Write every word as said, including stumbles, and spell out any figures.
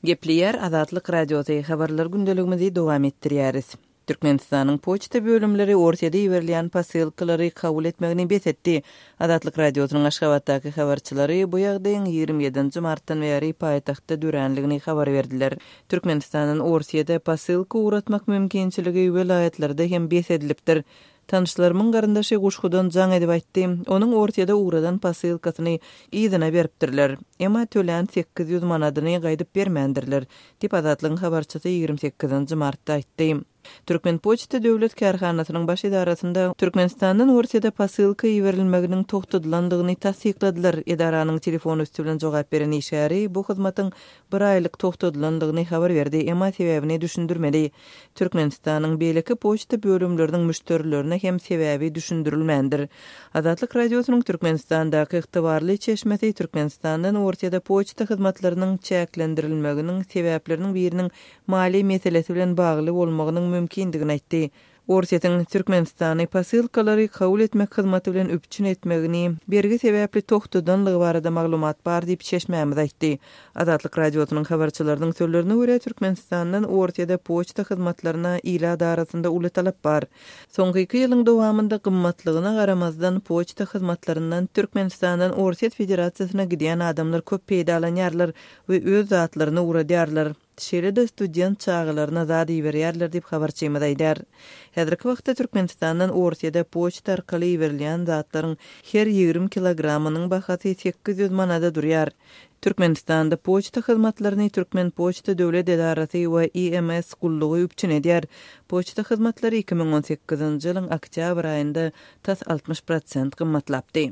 Gepliyer Azatlyk Radiosu habarlar gündeligimizi dowam etdirýäris. Türkmenistanyň poçta bölümleri ortada ýerilýän pasilkalary kabul etmegini besetdi. Azatlyk Radiosynyň Aşgabatdaky habarçylary bu ýagdaýyň ýygrimi ýedinji martdan beri paýtagtda düränligini habar berdiler. Türkmenistanyň Orsiýada pasilka uğratmak mümkinçiligi welaýatlarda hem besedilipdir. Tanışlarımın garyndaşy guşgudan jaň edip aýtdy. Onuň Orsiýada uğradan pasilkasyny ýygyna beripdirler. Emma tölen sekiz ýüz manadyny gaýdyp bermendirler. Dip Azatlygyň habarçysy ýygrimi sekizinji martda aýtdy. Türkmen Poçta Döwlet Karhanasynyň baş idarasynda Türkmenistandan Orsiýada pasilka ýeberilmeginiň togtadylandygyny tasdikladylar. Edaranyň telefon üstü bilen jogap beren işäri bu hyzmatyň bir aýlyk togtadylandygyny habar berdi, emma sebäbini düşündirmedi. Türkmenistanyň beýleki poçta bölümleriniň müşterilerine hem sebäbi düşündirilmendir. Azatlyk Radiosynyň Türkmenistandaky ygtybarly çeşmesi Türkmenistandan Orsiýada poçta hyzmatlarynyň çäklendirilmeginiň sebäpleriniň biriniň mali meselesi bilen bagly bolmagynyň mümkindigini aýtdy. Orsiýatyň Türkmenistany pasilkalary kabul etmek hyzmaty bilen üpçün etmegini bergi sebäpli togtadanlygy barada maglumat bar diýip çeşmämiz aýtdy. Azatlyk Radiosynyň habarçylarynyň sözlerine görä Türkmenistandan Orsiýada poçta hyzmatlaryna ila darasynda uly talap bar. Soňky iki ýylyň dowamında gymmatlygyna garamazdan poçta hyzmatlaryndan Türkmenistandan Orsiýet Federasiýasyna gidýän adamlar köp peýda alanýarlar we öz zatlaryny uğradýarlar. Şeýle-de student çağlaryna zady berýärler diýip habarçymyz aýdar. Häzirki wagtda Türkmenistandan Orsiýada poçta arkaly berilýän zatlaryň her ýygrimi kilogramynyň bahasy sekiz ýüz manada durýar. Türkmenistanda poçta hyzmatlaryny Türkmen Poçta Döwlet Edarasy we I M S gullugy üpçün edýär. Poçta hyzmatlary iki ming on sekizinji ýylyň oktýabr aýynda tas altmış prosent gymmatlapdy.